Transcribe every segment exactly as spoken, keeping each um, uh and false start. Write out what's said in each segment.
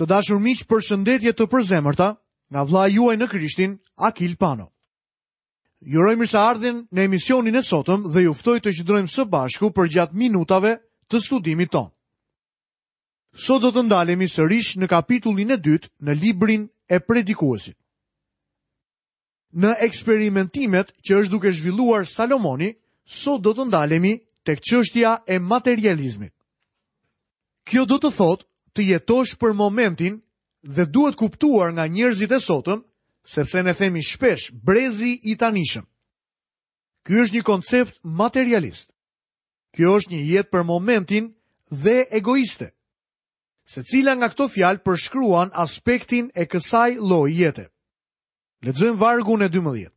Të dashur miq, përshëndetje të përzemërta nga vëllai juaj në Krishtin, Akil Pano. Ju uroj mirëseardhjen në emisionin e sotëm dhe ju ftoj të qëndrojmë së bashku përgjatë minutave të studimit tonë. Sot do të ndalemi sërish në kapitullin e dytë në librin e Predikuesit. Në eksperimentimet që është duke zhvilluar Salomoni, sot do të ndalemi tek çështja e materializmit. Kjo do të thotë të jetosh për momentin dhe duhet kuptuar nga njerëzit e sotëm, sepse ne themi shpesh brezi i tanishëm. Ky është një koncept materialist. Kjo është një jetë për momentin dhe egoiste. Secila nga këto fjalë përshkruan aspektin e kësaj lloji jete. Lexojmë vargun e dymbëdhjetë.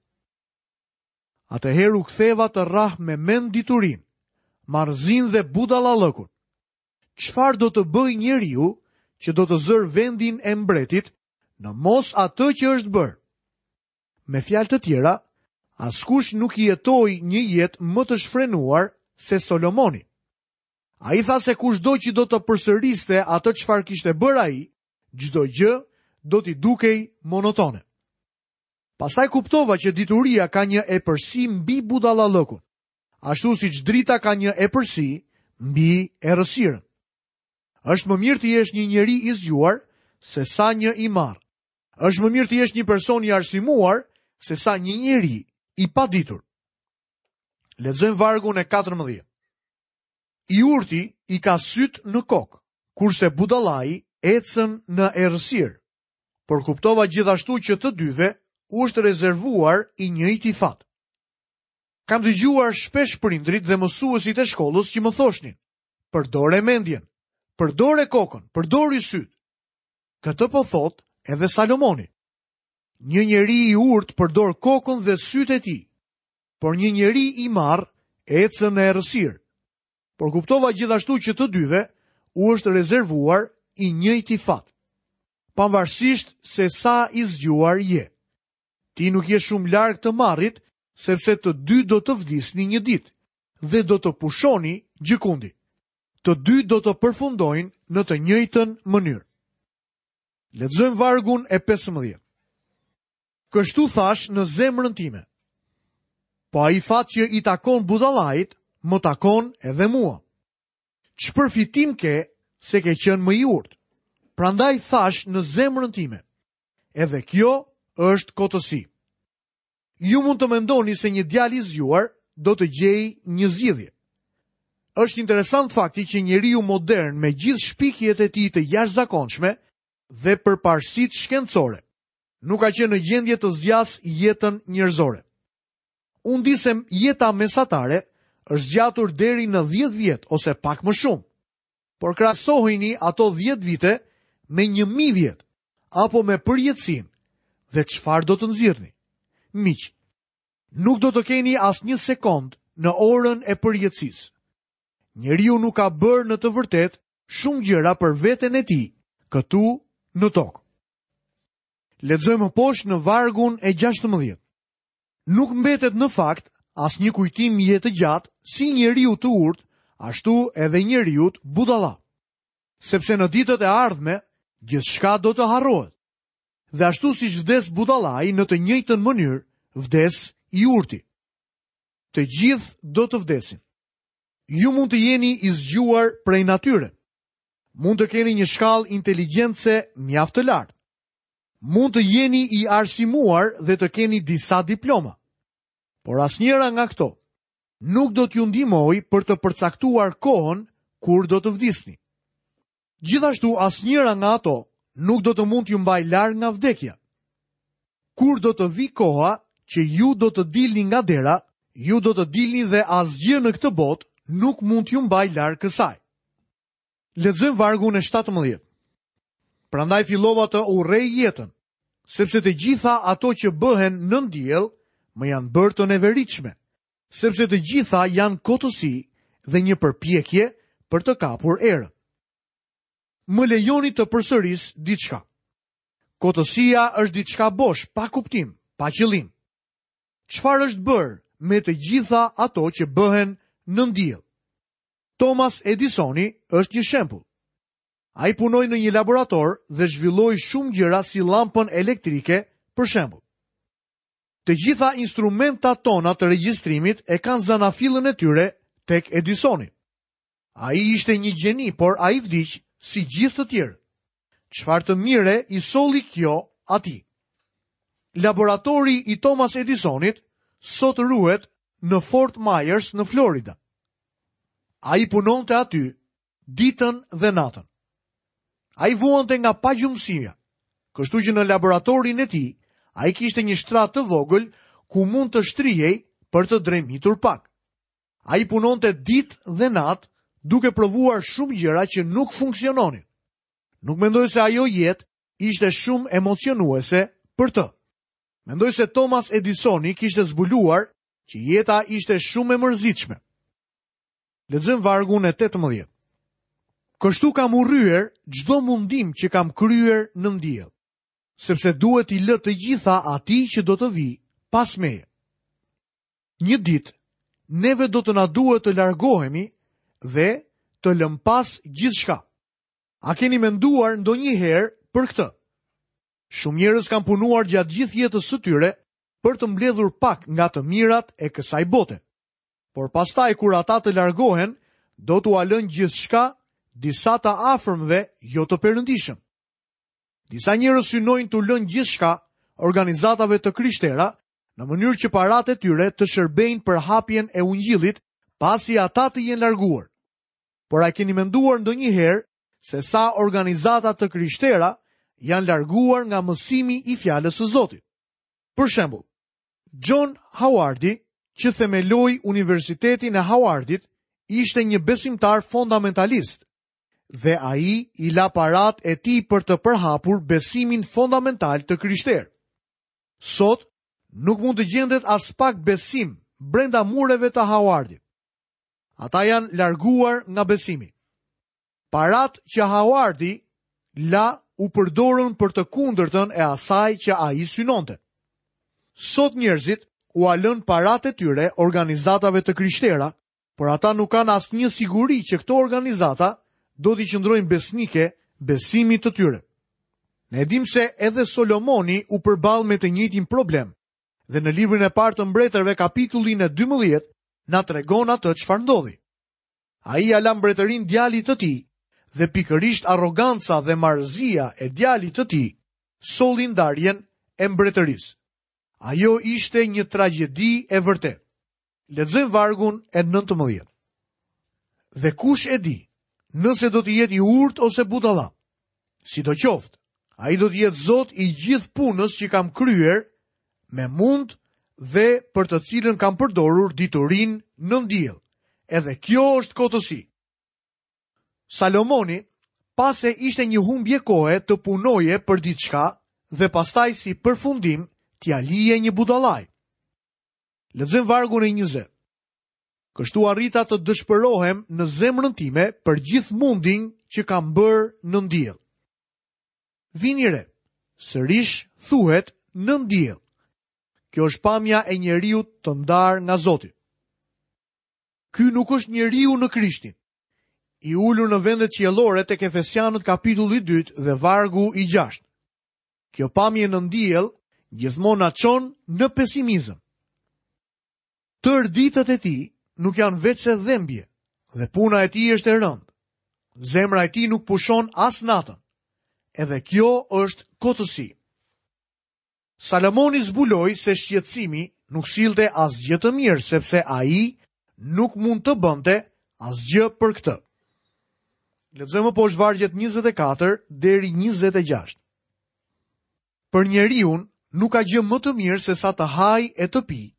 Atëherë u ktheva të rrah me mend diturinë, marrëzinë dhe budallallëkun. Çfarë do të bëj njeriu që do të zërë vendin e mbretit në mos atë që është bërë? Me fjalë të tjera, askush nuk jetoi një jetë më të shfrenuar se Solomoni. Ai tha se kushdo që do të përsëriste atë çfarë kishte bërë ai, çdo gjë do t'i dukej monotone. Pastaj kuptova që dituria ka një epërsi mbi budallallëkun, ashtu siç drita ka një epërsi mbi errësirën. Është më mirë të jesh një njeri i zgjuar se sa një i marrë. Është më mirë të jesh një person i arsimuar se sa një njeri i paditur. Lexojmë vargun e katërmbëdhjetë. I urti i ka syt në kokë, kurse budallai ecën në errësirë. Por kuptova gjithashtu që të dyve u është rezervuar i njëjti fat. Kam dëgjuar shpesh prindrit dhe mësuesit e shkollës që më thoshnin: përdore mendjen, përdore kokën, përdori syt. Këtë po thot edhe Salomoni. Një njeri i urtë përdor kokën dhe syt e tij, por një njeri i marr ecën në errësirë. Por kuptova gjithashtu që të dyve u është rezervuar i njëjti fat. Pavarësisht se sa i zgjuar je, ti nuk je shumë larg të marrit, sepse të dy do të vdisni një ditë dhe do të pushoni gjëkundi. Të dy do të përfundojnë në të njëjtën mënyrë. Lexojmë vargun e pesëmbëdhjetë. Kështu thash në zemrën time: po ai fat që i takon budallait, më takon edhe mua. Ç'përfitim ke se ke qenë më i urtë? Prandaj thash në zemrën time: edhe kjo është kotësi. Ju mund të mendoni se një djalë i zgjuar do të gjejë një zgjidhje. Është interesant fakti që njeriu modern me gjithë shpikjet e tij të jashtëzakonshme dhe përparësitë shkencore nuk ka qenë në gjendje të zgjasë jetën njerëzore. Unë di se jeta mesatare është zgjatur deri në dhjetë vjet ose pak më shumë. Por krahasohini ato dhjetë vite me një mijë vjet apo me përjetësinë dhe çfarë do të nxirrni? Miq, nuk do të keni asnjë sekond në orën e përjetësisë. Njeriu nuk ka bërë në të vërtetë shumë gjëra për veten e tij këtu në tokë. Lexojmë poshtë në vargun e gjashtëmbëdhjetë. Nuk mbetet në fakt asnjë kujtim jetë gjatë si njeriu të urtë, ashtu edhe njeriu budalla. Sepse në ditët e ardhme gjithçka do të harrohet. Dhe ashtu siç vdes budallai, në të njëjtën mënyrë vdes i urti. Të gjithë do të vdesin. Ju mund të jeni i zgjuar prej natyre. Mund të keni një shkallë inteligjence mjaft të lartë. Mund të jeni i arsimuar dhe të keni disa diploma. Por asnjëra nga këto nuk do t'ju ndihmojë për të përcaktuar kohën kur do të vdisni. Gjithashtu asnjëra nga ato nuk do të mund t'ju mbajë larg nga vdekja. Kur do të vi koha që ju do të dilni nga dera, ju do të dilni dhe asgjë në këtë botë nuk mund t'ju mbajë larg kësaj. Lexojmë vargun e shtatëmbëdhjetë. Prandaj fillova të urrej jetën, sepse të gjitha ato që bëhen nën diell më janë bërë të neveritshme, sepse të gjitha janë kotësi dhe një përpjekje për të kapur erën. Më lejoni të përsëris diçka. Kotësia është diçka bosh, pa kuptim, pa qëllim. Çfarë është bërë me të gjitha ato që bëhen nën diell? Thomas Edisoni është një shembull. Ai punoi në një laborator dhe zhvilloi shumë gjëra si llampën elektrike, për shembull. Të gjitha instrumentat tona të regjistrimit e kanë zanafillën e tyre tek Edisoni. Ai ishte një gjeni, por ai vdiq si gjithë të tjerë. Çfarë të mire i solli kjo atij? Laboratori i Thomas Edisonit sot ruhet në Fort Myers në Florida. Ai punonte aty ditën dhe natën. Ai vuante nga pagjumësia, kështu që në laboratorin e tij ai kishte një shtrat të vogël ku mund të shtrihej për të dremitur pak. Ai punonte ditë dhe natë duke provuar shumë gjëra që nuk funksiononin. Nuk mendoj se ajo jetë ishte shumë emocionuese për të. Mendoj se Thomas Edisoni kishte zbuluar që jeta ishte shumë e mërzitshme. Lexojmë vargun e tetëmbëdhjetë. Kështu kam urryer çdo mundim që kam kryer nën diell, sepse duhet t'i lë të gjitha atij që do të vijë pas meje. Një ditë, neve do të na duhet të largohemi dhe të lëm pas gjithçka. A keni menduar ndonjëherë për këtë? Shumë njerëz kanë punuar gjatë gjithë jetës së tyre për të mbledhur pak nga të mirat e kësaj bote. Por pastaj kur ata të largohen, do t'ua lënë gjithçka disa të afërmve jo të perëndishëm. Disa njerëz synojnë t'u lënë gjithçka organizatave të krishtera në mënyrë që paratë e tyre të shërbejnë për hapjen e ungjillit pasi ata të jenë larguar. Por a keni menduar ndonjëherë se sa organizata të krishtera janë larguar nga mësimi i fjalës së Zotit? Për shembull, John Howardi, që themeloi Universitetin e Howardit, ishte një besimtar fundamentalist dhe ai i la parat e tij për të përhapur besimin fundamental të krishterë. Sot nuk mund të gjendet as pak besim brenda mureve të Howardit. Ata janë larguar nga besimi. Parat që Howardi la u përdorën për të kundërtën e asaj që ai synonte. Sot njerëzit ua lënë parat e tyre organizatave të krishtera, por ata nuk kanë asnjë siguri që këto organizata do t'i qëndrojnë besnike besimit të tyre. Ne e dim se edhe Solomoni u përball me të njëjtin problem, dhe në librin e parë të mbretërve kapitullin e dymbëdhjetë na tregon atë çfarë ndodhi. Ai ia la mbretërinë djalit të tij, dhe pikërisht arroganca dhe marrëzia e djalit të tij solli ndarjen e mbretërisë. Ajo ishte një tragjedi e vërtetë. Lexojmë vargun e nëntëmbëdhjetë. Dhe kush e di, nëse do të jetë i urtë ose budalla? Sidoqoftë, ai do të jetë Zot i gjithë punës që kam kryer me mund dhe për të cilën kam përdorur diturinë nën diell. Edhe kjo është kotësi. Salomoni pa se ishte një humbje kohe të punoje për diçka dhe pastaj si përfundim t'ia lije një budallaj. Lexojmë vargun e njëzet. Kështu arrita të dëshpërohem në zemrën time për gjithë mundin që kam bërë nën diell. Vini re, sërish thuhet nën diell. Kjo është pamja e njeriut të ndarë nga Zoti. Ky nuk është njeriu në Krishtin, i ulur në vendet qiellore tek Efesianët kapitulli dytë dhe vargu i gjashtë. Kjo pamje nën diell gjithmonë na çon në pesimizëm. Tërë ditët e tij nuk janë veçse dhembje, dhe puna e tij është e rëndë. Zemra e tij nuk pushon as natën. Edhe kjo është kotësi. Salomoni zbuloi se shqetësimi nuk sillte asgjë të mirë, sepse ai nuk mund të bënte asgjë për këtë. Lexojmë poshtë vargjet njëzet e katër deri njëzet e gjashtë. Për njeriun nuk ka gjë më të mirë se sa të hajë e të pijë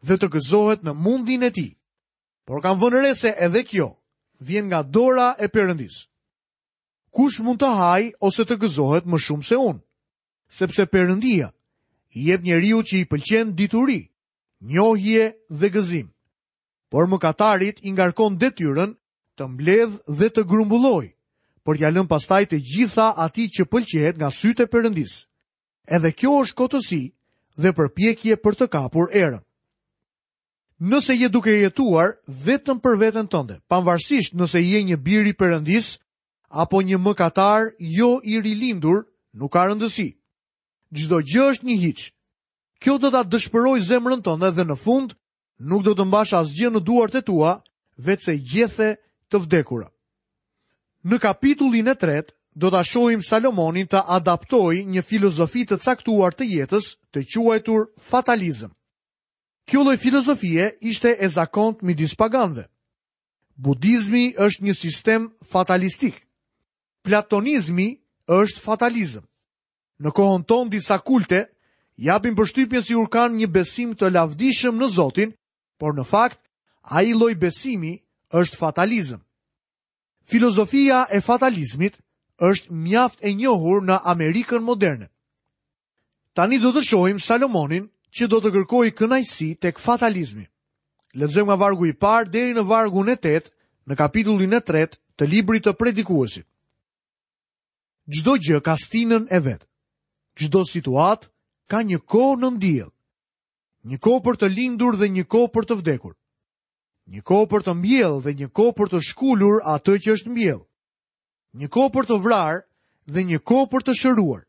dhe të gëzohet në mundin e tij. Por kam vënë re se edhe kjo vjen nga dora e Perëndisë. Kush mund të hajë ose të gëzohet më shumë se unë? Sepse Perëndia i jep njeriu që i pëlqen dituri, njohje dhe gëzim. Por mëkatarit i ngarkon detyrën të mbledh dhe të grumbullojë, por t'ia lën pastaj të gjitha atij që pëlqehet nga sytë e Perëndisë. Edhe kjo është kotësi dhe përpjekje për të kapur erën. Nëse je duke jetuar vetëm për veten tënde, pavarësisht nëse je një bir i Perëndisë apo një mëkatar jo i rilindur, nuk ka rëndësi. Çdo gjë është një hiç. Kjo do ta dëshpërojë zemrën tënde dhe në fund nuk do të mbash asgjë në duart e tua, veçse gjethe të vdekura. Në kapitullin e tretë do ta shohim Salomonin të adaptojë një filozofi të caktuar të jetës, të quajtur fatalizëm. Kjo lloj filozofie ishte e zakont midis paganëve. Budizmi është një sistem fatalistik. Platonizmi është fatalizëm. Në kohën tonë disa kulte japin përshtypjen sikur kanë një besim të lavdishëm në Zotin, por në fakt ai lloj besimi është fatalizëm. Filozofia e fatalizmit është mjaft e njohur në Amerikën moderne. Tani do të shohim Salomonin që do të kërkojë kënaqësi tek fatalizmi. Lexojmë nga vargu i parë deri në vargun e tetë në kapitullin e tretë të librit të Predikuesit. Çdo gjë ka stinën e vet. Çdo situatë ka një kohë nën diell. Një kohë për të lindur dhe një kohë për të vdekur. Një kohë për të mbjellë dhe një kohë për të shkulur atë që është mbjellë. Një kohë për të vrarë dhe një kohë për të shëruar.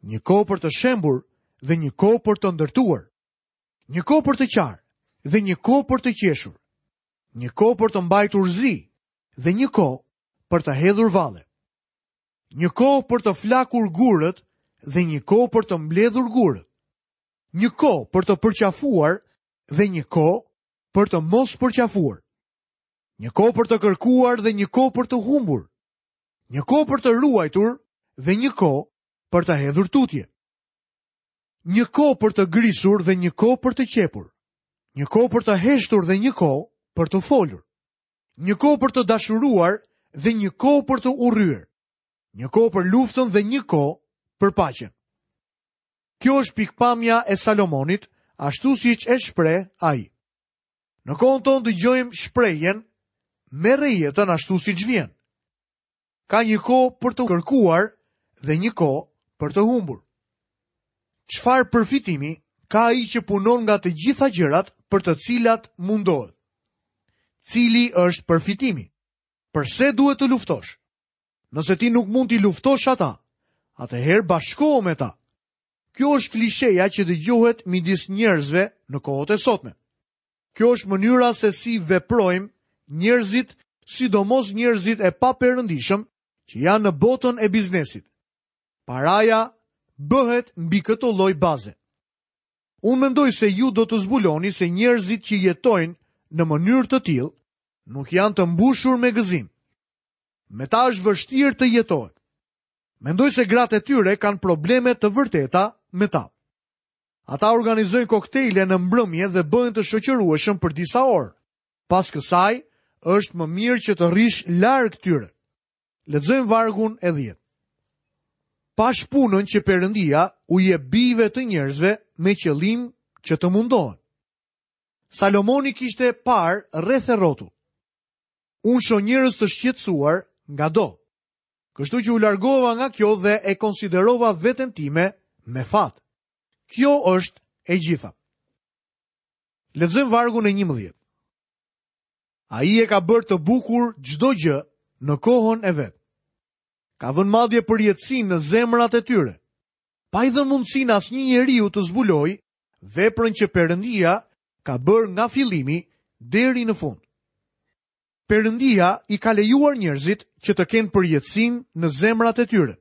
Një kohë për të shembur dhe një kohë për të ndërtuar. Një kohë për të qarë dhe një kohë për të qeshur. Një kohë për të mbajtur zi dhe një kohë për të hedhur valle. Një kohë për të flakur gurët dhe një kohë për të mbledhur gurët. Një kohë për të përqafuar dhe një kohë për të mos përqafuar. Një kohë për të kërkuar dhe një kohë për të humbur. Një kohë për të ruajtur dhe një kohë për të hedhur tutje. Një kohë për të grisur dhe një kohë për të qepur. Një kohë për të heshtur dhe një kohë për të folur. Një kohë për të dashuruar dhe një kohë për të urryer. Një kohë për luftën dhe një kohë për paqen. Kjo është pikpamja e Salomonit, ashtu siç e shpreh ai. Në kohën tonë dëgjojmë shprehjen merre jetën ashtu siç vjen. Ka një kohë për të kërkuar dhe një kohë për të humbur. Çfarë përfitimi ka ai që punon nga të gjitha gjërat për të cilat mundohet? Cili është përfitimi? Përse duhet të luftosh? Nëse ti nuk mund t'i luftosh ata, atëherë bashkohu me ta. Kjo është klisheja që dëgjohet midis njerëzve në kohët e sotme. Kjo është mënyra se si veprojmë njerëzit, sidomos njerëzit e paperëndishëm që janë në botën e biznesit. Paraja bëhet mbi këtë lloj baze. Unë mendoj se ju do të zbuloni se njerëzit që jetojnë në mënyrë të tillë nuk janë të mbushur me gëzim. Me ta është vështirë të jetohet. Mendoj se gratë e tyre kanë probleme të vërteta me ta. Ata organizojnë koktejle në mbrëmje dhe bëhen të shoqërueshëm për disa orë. Pas kësaj, është më mirë që të rrish larg tyre. Lexojmë vargun e dhjetë. Pash punën që Perëndia u jep bijve të njerëzve me qëllim që të mundohen. Salomoni kishte parë rreth e rrotull. Unë shoh njerëz të shqetësuar nga do. Kështu që u largova nga kjo dhe e konsiderova veten time me fat. Kjo është e gjitha. Lexojmë vargun e njëmbëdhjetë. Ai e ka bërë të bukur çdo gjë në kohën e vet. Ka vënë madje përjetësinë në zemrat e tyre, pa i dhënë mundësinë asnjë njeriu të zbulojë veprën që Perëndia ka bërë nga fillimi deri në fund. Perëndia i ka lejuar njerëzit që të kenë përjetësinë në zemrat e tyre,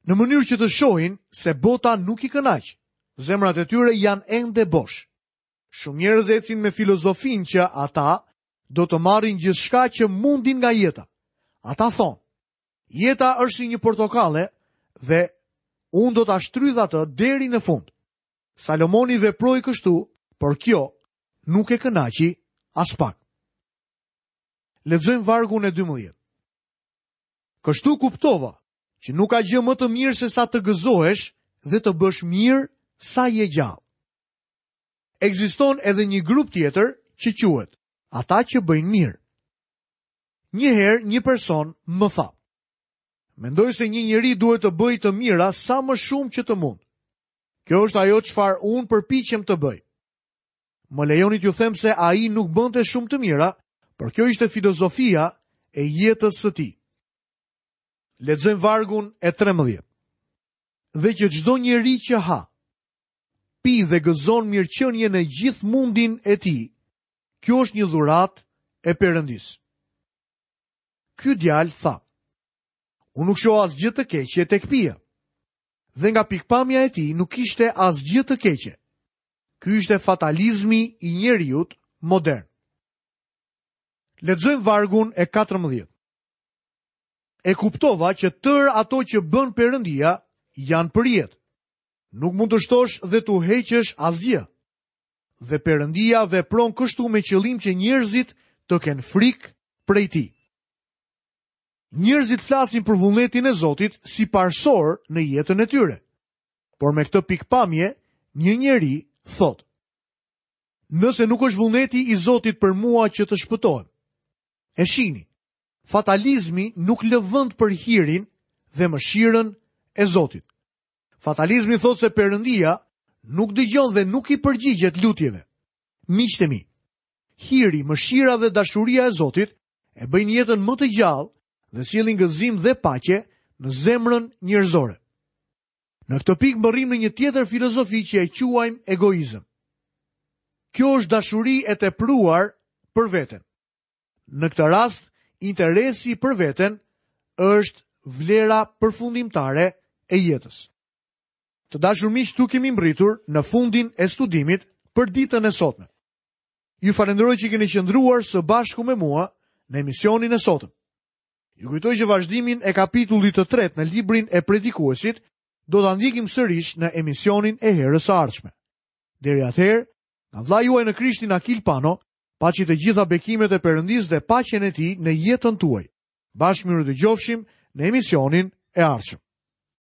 në mënyrë që të shohin se bota nuk i kënaq. Zemrat e tyre janë ende bosh. Shumë njerëz ecin me filozofinë që ata do të marrin gjithçka që mundin nga jeta. Ata thonë, jeta është si një portokalle dhe unë do ta shtrydh atë deri në fund. Salomoni veproi kështu, por kjo nuk e kënaqi as pak. Lexojmë vargun e dymbëdhjetë. Kështu kuptova që nuk ka gjë më të mirë se sa të gëzohesh dhe të bësh mirë sa je gjallë. Ekziston edhe një grup tjetër që quhet ata që bëjnë mirë. Një herë një person më tha, mendoj se një njeri duhet të bëjë të mira sa më shumë që të mund. Kjo është ajo çfarë unë përpiqem të bëj. Më lejoni t'ju them se ai nuk bënte shumë të mira, por kjo ishte filozofia e jetës së tij. Lexojmë vargun e trembëdhjetë. Dhe që çdo njeri që ha, pi dhe gëzon mirëqenien e gjithë mundin e tij, kjo është një dhuratë e Perëndisë. Ky djalë tha: Unë nuk shoh asgjë të keqe tek pija. Dhe nga pikpamja e tij nuk ishte asgjë të keqe. Ky ishte fatalizmi i njeriut modern. Lexojmë vargun e katërmbëdhjetë. E kuptova që tërë ato që bën Perëndia janë për jetë. Nuk mund të shtosh dhe t'u heqësh asgjë. Dhe Perëndia vepron kështu me qëllim që njerëzit të kenë frikë prej tij. Njerëzit flasin për vullnetin e Zotit si parësor në jetën e tyre. Por me këtë pikpamje, një njeri thotë: Nëse nuk është vullneti i Zotit për mua që të shpëtohem. E shihni, fatalizmi nuk lë vend për hirin dhe mëshirën e Zotit. Fatalizmi thotë se Perëndia nuk dëgjon dhe nuk i përgjigjet lutjeve. Miqtë e mi, hiri, mëshira dhe dashuria e Zotit e bëjnë jetën më të gjallë dhe sjellin gëzim dhe paqe në zemrën njerëzore. Në këtë pikë mbërrim në një tjetër filozofi që e quajmë egoizëm. Kjo është dashuri e tepruar për veten. Në këtë rast, interesi për veten është vlera përfundimtare e jetës. Të dashur miq, tu kemi mbërritur në fundin e studimit për ditën e sotme. Ju falenderoj që keni qëndruar së bashku me mua në emisionin e sotëm. Ju kujtoj që vazhdimin e kapitullit të tretë në librin e predikuesit do ta ndjekim sërish në emisionin e herës së ardhshme. Deri atëherë, nga vëllai juaj në Krishtin Akil Pano, paçi të gjitha bekimet e Perëndisë dhe paqen e tij në jetën tuaj. Bashkë mirë dëgjofshim në emisionin e ardhshëm.